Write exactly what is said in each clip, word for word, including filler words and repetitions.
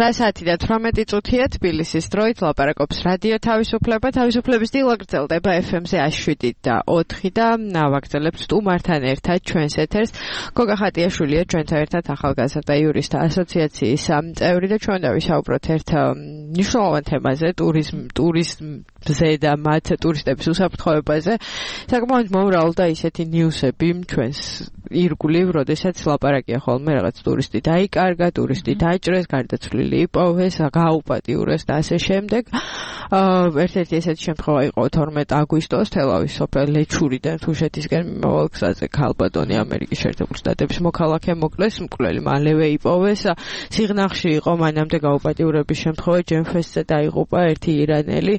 ცხრა საათი და თვრამეტი წუთია თბილისის დროით ლაპარაკობს რადიო თავისუფლება. თავისუფლების დილა გრძელდება ეფ ემ-ზე ათი შვიდი და ოთხი და ვაგრძელებთ სტუმართან ერთად ჩვენს ეთერს. გოგა ხატიაშვილია ჩვენთან ერთად ახალგაზრდა იურისტთა ასოციაციის წევრი და ჩვენ დავისაუბროთ ერთ მნიშვნელოვან თემაზე, ტურიზმ ტურიზმზე და მათ ტურისტების უსაფრთხოებაზე. საკმაოდ მომრავლე და ისეთი ნიუსები ჩვენს ირგვლივ, როდესაც ლაპარაკია ხოლმე რაღაც ტურისტი დაიკარგა, ტურისტი დაჭრეს, გარდაცვლილი იპოვეს, გააუპატიურეს და ასე შემდეგ. ერთ-ერთი ესეთი შემთხვევა იყო თორმეტი აგვისტოს თელავის სოფელ ლეჩურიდან თუშეთისკენ მიმავალ გზაზე ქალბატონი ამერიკის შეერთებული შტატების მოქალაქე მოკლეს, მკვლელი მალევე იპოვეს. სიღნაღში იყო მანამდე გაუპატიურების შემთხვევა, ჯემფესზე დაიღუპა ერთი ირანელი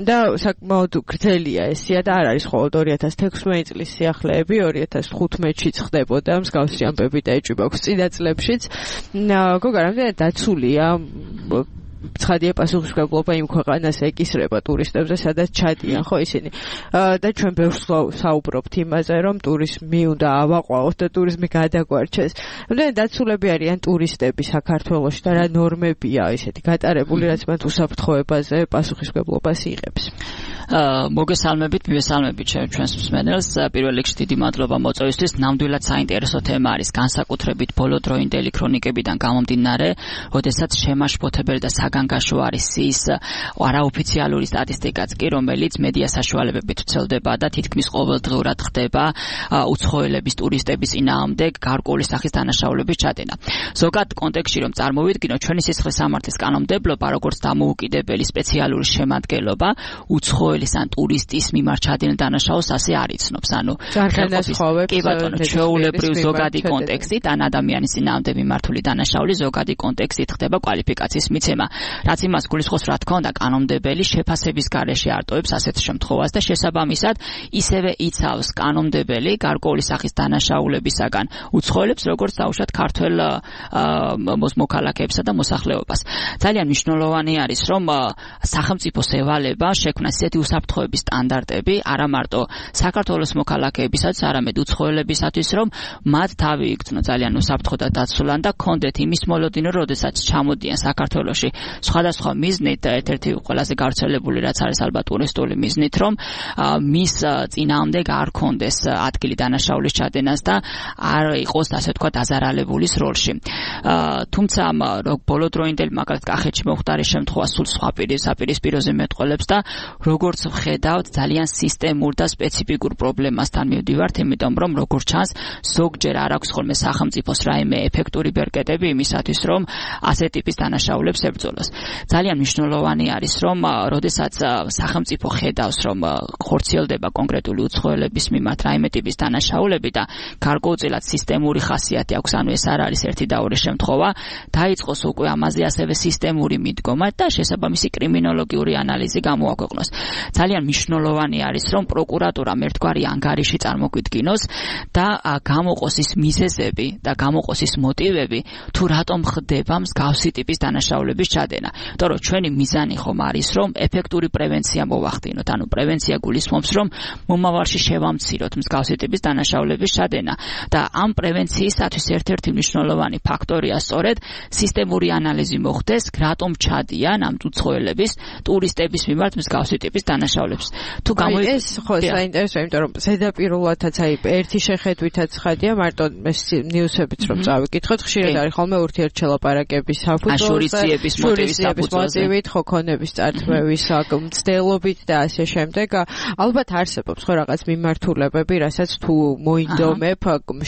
და საკმაოდ გრძელია ესია და არ არის მხოლოდ ორი ათას თექვსმეტი წლის სიახლეები, ორი ათას ხუთმეტში ხდებოდა მსგავსი ამბები და ეჭვი აქვს წინა წლებშიც. გოგა, რამდენად დაცულია ცხადია პასუხისმგებლობა იმ ქვეყანას ეკისრება ტურისტებზე, სადაც ჩადიან ხო ისინი. და ჩვენ ბევრს საუბრობთ იმაზე, რომ ტურიზმი უნდა ავაყვაოთ და ტურიზმი გადაგვარჩეს. რამდენად დაცულები არიან ტურისტები საქართველოში და რა ნორმებია ისეთი გატარებული, რაც მათ უსაფრთხოებაზე პასუხისმგებლობას იღებს. მოგესალმებით, მივესალმებით ჩვენს მსმენელს. პირველ რიგში დიდი მადლობა მოწვევისთვის. ნამდვილად საინტერესო თემა არის, განსაკუთრებით ბოლოდროინდელი ქრონიკებიდან გამომდინარე, როდესაც შემაშფოთებელი და საგანგაშო არის ის არაოფიციალური სტატისტიკაც კი, რომელიც მედია საშუალებებით ვრცელდება და თითქმის ყოველდღურად ხდება უცხოელების ტურისტების წინააღმდეგ გარკვეული სახის დანაშაულების ჩადენა. ზოგად კონტექსტში რომ წარმოვიდგინოთ, ჩვენი სისხლის სამართლის კანონმდებლობა, როგორც დამოუკიდებელი სპეციალური შემადგენლობა, უცხო ან ტურისტის მიმართ ჩადენილ დანაშაულს ასე არ იცნობს. ანუ კი ბატონო, ჩვეულებრივ ზოგადი კონტექსტით ან ადამიანის წინააღმდეგ მიმართული დანაშაული ზოგადი კონტექსტით ხდება კვალიფიკაციის მიცემა. რაც იმას გულისხმობს, რა თქმა უნდა, კანონმდებელი შეფასების გარეშე არტოებს ასეთ შემთხვევას და შესაბამისად ისევე იცავს კანონმდებელი გარკვეული სახის დანაშაულებისაგან უცხოელებს, როგორც დაუშვათ ქართველ მოქალაქეებსა და მოსახლეობას. ძალიან მნიშვნელოვანი არის, რომ სახელმწიფოს ევალება შექმნას ისეთი უსაფრთხოების სტანდარტები, არა მარტო საქართველოს მოქალაქეებისაც, არამედ უცხოელებისათვის, რომ მათ თავი იქცნო ძალიან უსაფრთხო და დაცულან და კონდეთ იმის მოლოდინო, როდესაც ჩამოდიან საქართველოში სხვადასხვა მიზნით, ერთ-ერთი ყველაზე გავრცელებული რაც არის ალბათ ტურისტული მიზნით, რომ მის წინააღმდეგ არ კონდეს ადგილი დანაშაულის ჩადენას და არ იყოს ასე თქვა დაზარალებულის როლში. თუმცა ბოლოდროინდელი მაგალითად კახეთში მომხდარი შემთხვევა სულ სხვა პირისპიროზე მეტყველებს და როგორც ვხედავთ, ძალიან სისტემურ და სპეციფიკურ პრობლემასთან მივდივართ, იმიტომ რომ როგორც ჩანს, ზოგჯერ არ აქვს ხოლმე სახელმწიფოს რაიმე ეფექტური ბერკეტები იმისათვის, რომ ასეთ ტიპის დანაშაულებს ებრძოლოს. ძალიან მნიშვნელოვანი არის, რომ როდესაც სახელმწიფო ხედავს, რომ ხორციელდება კონკრეტული უცხოელების მიმართ რაიმე ტიპის დანაშაულები და გარკვეულწილად სისტემური ხასიათი აქვს, ანუ ეს არ არის ერთი და ორი შემთხვევა, დაიწყოს უკვე ამაზე ასევე სისტემური მიდგომა და შესაბამისი კრიმინოლოგიური ანალიზი გამოაქვეყნოს. ძალიან მნიშვნელოვანი არის, რომ პროკურატურამ ერთგვარი ანგარიში წარმოგვიდგინოს და გამოყოს ის მიზეზები და გამოყოს ის მოტივები, თუ რატომ ხდება მსგავსი ტიპის დანაშაულების ჩადენა. იმიტომ რომ ჩვენი მიზანი ხომ არის, რომ ეფექტური პრევენცია მოვახდინოთ. ანუ პრევენცია გულისხმობს, რომ მომავალში შევამციროთ მსგავსი ტიპის დანაშაულების ჩადენა და ამ პრევენციისათვის ერთ-ერთი მნიშვნელოვანი ფაქტორია სწორედ სისტემური ანალიზი მოხდეს, რატომ ჩადიან ამ უცხოელების ტურისტების მიმართ მსგავსი ტიპის დანაშაულებს. თუ გამოი ეს ხო საინტერესოა, იმიტომ რომ ზედაპირულადაც აი ერთი შეხედვითაც ხადია, მარტო ეს ნიუსებიც რომ წავიკითხოთ, ხშირად არის ხოლმე ურთიერთშელაპარაკების საფუძველზე, შურისძიების მოტივით, ხო ქონების წართმევის მცდელობით და ასე შემდეგ. ალბათ არსებობს ხო რაღაც მიმართულებები, რასაც თუ მოინდომებ,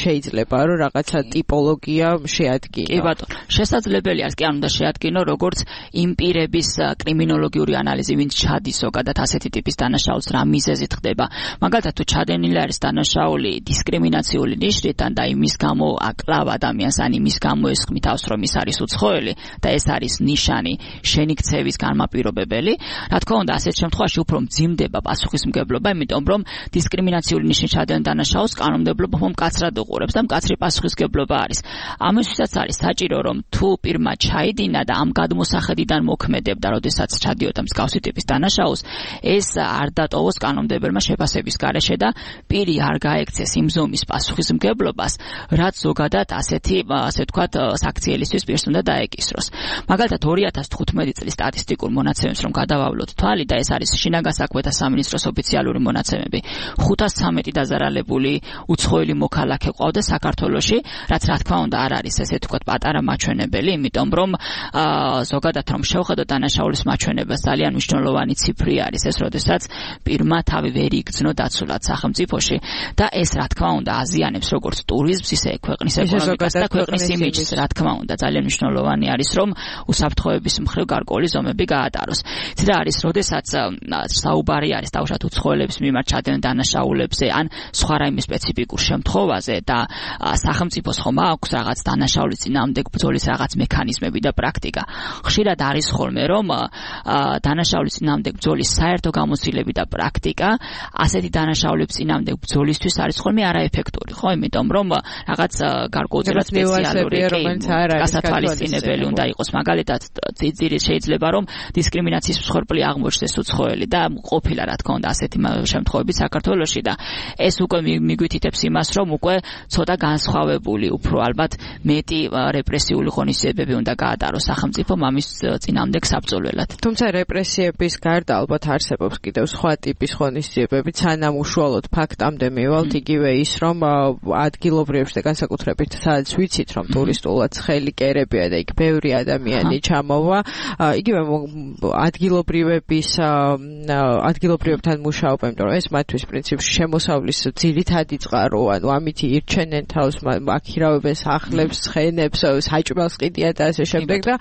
შეიძლება რომ რაღაცა ტიპოლოგია შეადგინო. კი ბატონო, შესაძლებელი არის, კი არ უნდა შეადგინო, როგორც იმ პირების კრიმინოლოგიური ანალიზი, ვინც ჩადის ზოგადად ასეთი ტიპის დანაშაულს, რა მიზეზით ხდება. მაგალითად, თუ ჩადენილი არის დანაშაული დისკრიმინაციული ნიშნიდან და იმის გამო აკლავ ადამიანს, ან იმის გამო ესხმით თავს, რომ ის არის უცხოელი და ეს არის ნიშა მიზანი შენიქცევის განმაპირობებელი. რა თქმა უნდა, ასეთ შემთხვევაში უფრო მძიმდება პასუხისმგებლობა, იმიტომ რომ დისკრიმინაციული ნიშნის ჩადენა დანაშაულს კანონმდებლობა მკაცრად უყურებს და მკაცრი პასუხისმგებლობა არის. ამისთვისაც არის საჭირო, რომ თუ პირმა ჩაიდინა და ამ გადმოსახედიდან მოქმედებდა, როდესაც ჩადიოდა მსგავსი ტიპის დანაშაულს, ეს არ დატოვოს კანონმდებელმა შეფასების გარეშე და პირი არ გაექცეს იმ ზომის პასუხისმგებლობას, რაც ზოგადად ასეთი, ასე ვთქვათ, საქციელისთვის პირს უნდა დაეკისროს. მაგალითად, ორი ათას თხუთმეტი წლის სტატისტიკურ მონაცემებს რომ გადავავლოთ თვალი და ეს არის შინაგან საქმეთა სამინისტროს ოფიციალური მონაცემები, ხუთას ცამეტი დაზარალებული უცხოელი მოქალაქე ყავდა საქართველოში, რაც რა თქმა უნდა არ არის ესე ვთქვათ პატარა მაჩვენებელი, იმიტომ რომ ზოგადად რომ შევხედოთ დანაშაულის მაჩვენებას ძალიან მნიშვნელოვანი ციფრი არის ეს, როდესაც პირმა თავი ვერ იგრძნო დაცულად სახელმწიფოში და ეს რა თქმა უნდა აზიანებს როგორც ტურიზმს, ისე ქვეყნის ეკონომიკას და ქვეყნის იმიჯს, რა თქმა უნდა ძალიან მნიშვნელოვანი არის რომ უსაფრთხოების მხრივ გარკვეული ზომები გაატაროს. იცით რა არის, როდესაც საუბარი არის თავშად უცხოელების მიმართ ჩადენილ დანაშაულებზე ან სხვა რაიმე სპეციფიკურ შემთხვევაზე და სახელმწიფოს ხომ აქვს რაღაც დანაშაულის წინააღმდეგ ბრძოლის რაღაც მექანიზმები და პრაქტიკა. ხშირად არის ხოლმე რომ დანაშაულის წინააღმდეგ ბრძოლის საერთო გამოცდილები და პრაქტიკა ასეთი დანაშაულების წინააღმდეგ ბრძოლისთვის არის ხოლმე არაეფექტური, ხო? იმიტომ რომ რაღაც გარკვეულწილად სპეციალური გასათვალისწინებელი უნდა იყოს. მაგალითად, ძიძირი შეიძლება რომ დისკრიმინაციის მსხვერპლი აღმოჩნდეს უცხოელი და ყოფილა რა თქმა უნდა ასეთი შემთხვევები საქართველოში და ეს უკვე მიგვითითებს იმას, რომ უკვე ცოტა განსხვავებული, უფრო ალბათ მეტი რეპრესიული ღონისძიებები უნდა გაატაროს სახელმწიფომ ამის წინააღმდეგ საბრძოლველად. თუმცა რეპრესიების გარდა ალბათ არსებობს კიდევ სხვა ტიპის ღონისძიებები, სანამ უშუალოდ ფაქტამდე მივალთ, იგივე ის, რომ ადგილობრივებს და განსაკუთრებით სადაც ვიცით, რომ ტურისტულად ცხელი კერებია და იქ ბევრი ადამიანი ჩამოვა, იგივე ადგილობრივების ადგილობრივებთან მუშაობა, იმიტომ რომ ეს მათთვის პრინციპში შემოსავლის ძირითადი წყარო, ანუ ამით ირჩენენ თავს, აქირავებენ სახლებს, ცხენებს, საჭმელს ყიდიან და ასე შემდეგ და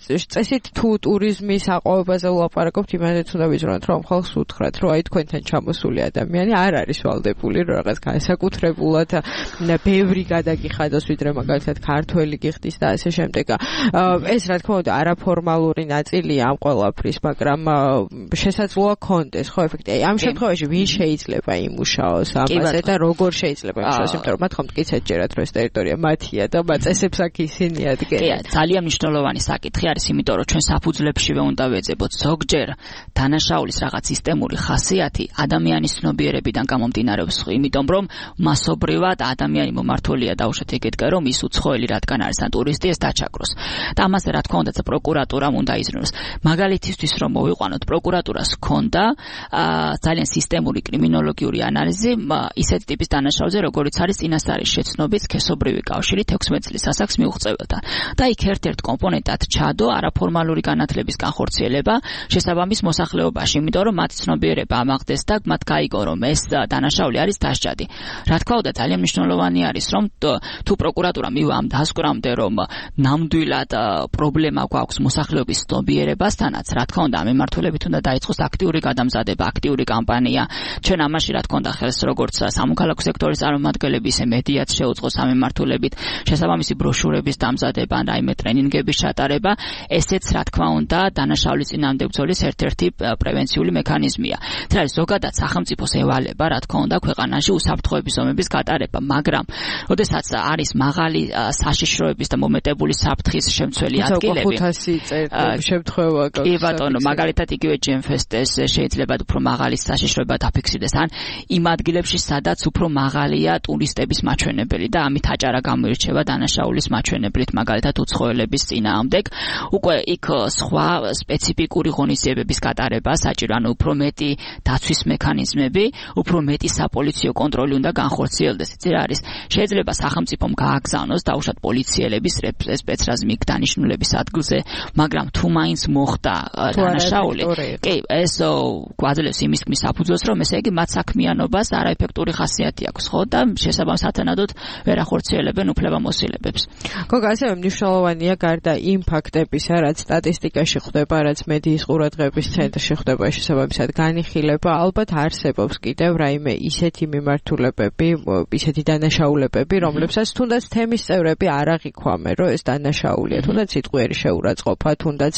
წესით თუ ტურიზმის აყვავებაზე ვლაპარაკობთ, იმანაც უნდა ვიზრუნოთ, რომ ხალხს უთხრათ, რომ აი თქვენთან ჩამოსული ადამიანი არ არის ვალდებული, რომ რაღაც განსაკუთრებულად ბევრი გადაგიხადოს, ვიდრე მაგალითად ქართველი გიხდის და ასე შემდეგ. ეს რა თქმა უნდა არაფორმალური ნაწილია ამ ყველაფრის, მაგრამ შესაძლოა კონდეს, ხო, ეფექტი. ამ შემთხვევაში ვინ შეიძლება იმუშაოს ამაზე და როგორ შეიძლება იმუშაოს, იმიტომ რომ მათ ხომ მტკიცედ ჯერათ, რომ ეს ტერიტორია მათია და მაწესებს აქ ისინი ადგენენ. კი, ძალიან მნიშვნელოვანი საკითხი არის, იმიტომ რომ ჩვენ საფუძვლებშივე უნდა ვეძებოთ ზოგჯერ დანაშაულის რაღაც სისტემური ხასიათი ადამიანის ცნობიერებიდან გამომდინარეობს, იმიტომ რომ მასობრივად ადამიანი მომართულია დაუშვათ ეგეთკენ, რომ ის უცხოელი რადგან არის ან ტურისტი ეს დაჩაგროს. და ამაზე რა თქმა უნდა პროკურატურამ უნდა იზრუნოს. მაგალითისთვის რომ მოვიყვანოთ, პროკურატურას ჰქონდა ძალიან სისტემური კრიმინოლოგიური ანალიზი ისეთი ტიპის დანაშაულზე, როგორიც არის წინასწარი შეცნობის სქესობრივი კავშირი თექვსმეტ წლის ასაკს მიუღწეველთან. და იქ ერთ-ერთ კომპონენტად ჩადო არაფორმალური განათლების განხორციელება შესაბამის მოსახლეობაში, იმიტომ რომ მათი ცნობიერება ამაღლდეს და მათ გაიგო, რომ ეს დანაშაული არის დასჯადი. რა თქმა უნდა, ძალიან მნიშვნელოვანი არის, რომ თუ პროკურატურა მივა ამ დასკვნამდე, რომ ნამდვილად პრობლემა გვაქვს მოსახლეობის ცნობიერებასთანაც, რა თქმა უნდა, ამ მიმართულებით უნდა დაიწყოს აქტიური გადამზადება, აქტიური კამპანია. ჩვენ ამაში რა თქმა უნდა ხელს როგორც სამოქალაქო სექტორის წარმომადგენლები, ისე მედიაც შეუწყოს ამ მიმართულებით, შესაბამისი ბროშურების დამზადება, რაიმე ტრენინგების ჩატარება, ესეც რა თქმა უნდა დანაშაულის წინააღმდეგ ბრძოლის ერთ-ერთი პრევენციული მექანიზმია. ეს არის ზოგადად სახელმწიფოს ევალება, რა თქმა უნდა, ქვეყანაში უსაფრთხოების ზომების გატარება, მაგრამ როდესაც არის მაღალი საშიშროების და მომეტებული საფრთხის შემცველი ადგილები, შემთხვევა კი ბატონო, მაგალითად იგივე ჯემფესტეს შეიძლება უფრო მაღალი საშიშროება დაფიქსირდეს ან იმ ადგილებში, სადაც უფრო მაღალია ტურისტების მაჩვენებელი და ამით აჭარა გამოირჩევა დანაშაულის მაჩვენებლით, მაგალითად უცხოელების წინააღმდეგ. უკვე იქ სხვა სპეციფიკური ღონისძიებების გატარება საჭირო, ანუ უფრო მეტი დაცვის მექანიზმები, უფრო მეტი საპოლიციო კონტროლი უნდა განხორციელდეს. იცი რა არის? შეიძლება სახელმწიფომ გააგზავნოს დაუშვათ პოლიციელების სპეცრაზმი დანიშნულების ადგილზე, მაგრამ თუ მაინც მოხდა დანაშაული, კი, ეს გვაძლევს იმის ქმნის საფუძველს, რომ ესე იგი მათ საქმიანობას არაეფექტური ხასიათი აქვს, ხო, და შესაბამის სათანადოდ ვერ ახორციელებენ უფლებამოსილებებს. გოგა, ასევე მნიშვნელოვანია გარდა იმ ფაქტებისა, რაც სტატისტიკაში ხდება, რაც მედიის ყურადღების ცენტრში ხდება, შესაბამისად განიხილება, ალბათ არსებობს კიდევ რაიმე ისეთი მიმართულებები, ისეთი დანაშაულებები, რომლებსაც თუნდაც თემის წევრები არ აღიქვამენ, რომ ეს დანაშაულია, თუნდაც სიტყვიერი შეურაცხყოფა, თუნდაც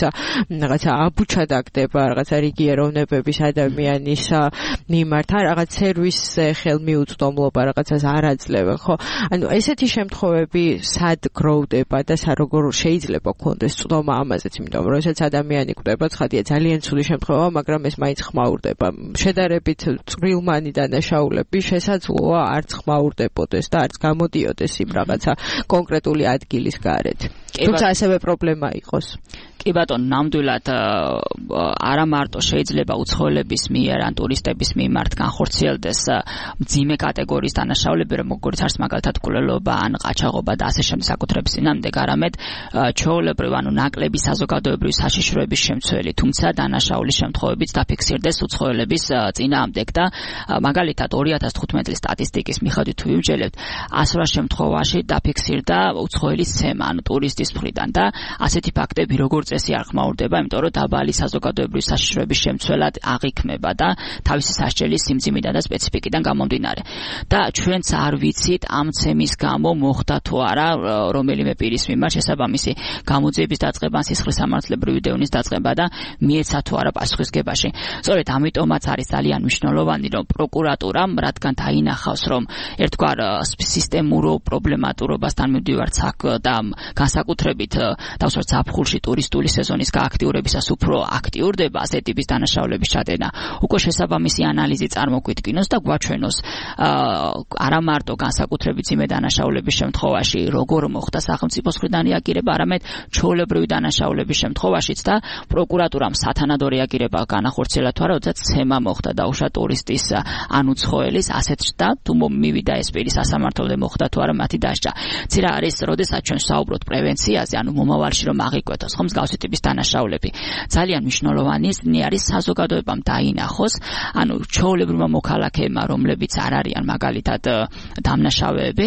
რაღაცა აბუჩა დაგდება რაღაცა რიგი ეროვნებების ადამიანის მიმართ, რაღაც სერვისზე ხელმიუწვდომლობა რაღაცას არ აძლევენ, ხო? ანუ ესეთი შემთხვევები სად გროვდება და როგორ შეიძლება გქონდეს წვდომა ამაზეც, იმიტომ რომ როდესაც ადამიანი კვდება, ცხადია ძალიან ცუდი შემთხვევაა, მაგრამ ეს მაინც ხმაურდება. შედარებით წვრილმანი დანაშაულები შესაძლოა არც ხმაურდებოდეს და არც გამოდიოდეს იმ რაღაცა კონკრეტული ადგილის გარეთ. თუმცა ასევე პრობლემა იყოს. კი ბატონო, ნამდვილად არა მარტო შეიძლება უცხოელების მიერ ან ტურისტების მიმართ განხორციელდეს მძიმე კატეგორიის დანაშაულები, როგორც არის მაგალითად მკვლელობა ან ყაჩაღობა და ასე შემდეგ საკუთრების წინააღმდეგ, არამედ ჩვეულებრივ ანუ ნაკლები საზოგადოებრივი საშიშროების შემცველი, თუმცა დანაშაულის შემთხვევებიც დაფიქსირდეს უცხოელების წინააღმდეგ და მაგალითად ორი ათას თხუთმეტი წლის სტატისტიკის მიხედვით თუ ვიმსჯელებთ, ას რვა შემთხვევაში დაფიქსირდა უცხოელის ცემა, ანუ ტურისტის მხრიდან და ასეთი ფაქტები როგორც წესი არ ხმაურდება, იმიტომ რომ დაბალი საზოგადოებრივი საშიშროების შემცველად აღიქმება და თავისი სასჯელის სიმძიმიდან და სპეციფიკიდან გამომდინარე. და ჩვენც არ ვიცით ამ ცემის გამო მოხდა თუ არა რომელიმე პირის მიმართ შესაბამისი გამოძიების დაწყება, სისხლის სამართლებრივი დევნის დაწყება და მიეცა თუ არა პასუხისგებაში. სწორედ ამიტომაც არის ძალიან მნიშვნელოვანი, რომ პროკურატურამ, რადგან დაინახავს, რომ ერთგვარ სისტემურო პრობლემატურობასთან მივდივართ და განსაკუთრებით დავსვათ ზაფხულში ტურისტული სეზონის გააქტიურებისას უფრო აქტიურდება ასეთი ტიპის დანაშაულების ჩადენა. უკვე შესაბამისი ანალიზი წარმოგვიდგინოს და გვაჩვენოს არა მარტო განსაკუთრებით მძიმე დანაშაულების შემთხვევაში როგორ მოხდა სახელმწიფოს მხრიდან რეაგირება, არამედ ჩვეულებრივი დანაშაულების შემთხვევაშიც და პროკურატურამ სათანადო რეაგირება განახორციელა თუ არა, როდესაც ცემა მოხდა დაუშვა ტურისტის ან უცხოელის ასეთ და თუ მივიდა ეს პირი სასამართლომდე მოხდა თუ არა მათი დასჯა. ცირა არის, როდესაც ჩვენ საუბრობთ პრევენციაზე, ანუ მომავალში რომ აღიკვეთოს ხომ მსგავსი ტიპის დანაშაულები. ძალიან მნიშვნელოვანი არის საზოგადოებამ დაინახოს, ანუ ჩვეულებრივმა მოქალაქეებმა, რომლებიც არ არიან მაგალითად დამნაშავეები,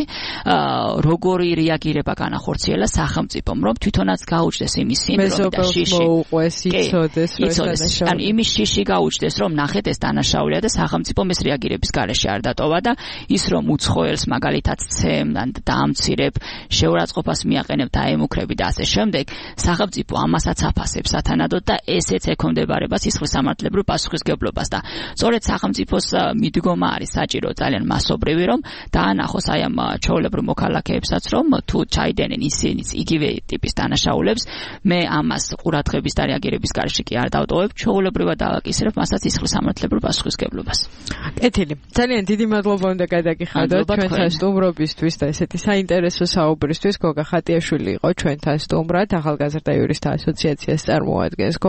როგორი რეაგირება განახორციელა სახელმწიფომ, რომ თვითონაც გაუჩნდეს იმის სინდრომი და შიში. იცოდეს, რომ ანუ იმის შიში გაუჩნდეს, რომ ნახეთ ეს დანაშაულია და სახელმწიფომ ეს რეაგირების გარეშე არ დატოვა და ის რომ უცხოელს მაგალითად ცემ, დაამცირებ, შეურაცხყოფას მიაყენებ, დაემუქრები და ასე შემდეგ, სახელმწიფო ამასაც აფასებს სათანადოდ და ესეც ექვემდებარება სისხლის სამართლებრივ პასუხისგებლობას და სწორედ სახელმწიფოს მიდგომა არის საჭირო ძალიან მასობრივი, რომ დაანახოს აი ამ ჩვეულებრივ მოქალაქეებსაც, რომ თუ ჩაიდენენ ისინიც იგივე ტიპის დანაშაულებს, მე ამას ყურადღების და რეაგირების გარეშე კი არ დავტოვებ, ჩვეულებრივად დავაკისრებ მასაც სისხლის სამართლებრივ პასუხისგებლობას. კეთილი. ძალიან დიდი მადლობა უნდა გადაგიხადოთ ჩვენთან სტუმრობისთვის და ესეთი საინტერესო საუბრისთვის. გოგა ხატიაშვილი იყო ჩვენთან სტუმრად, ახალგაზრდა იურისტთა ასოციაციას წარმოადგენს.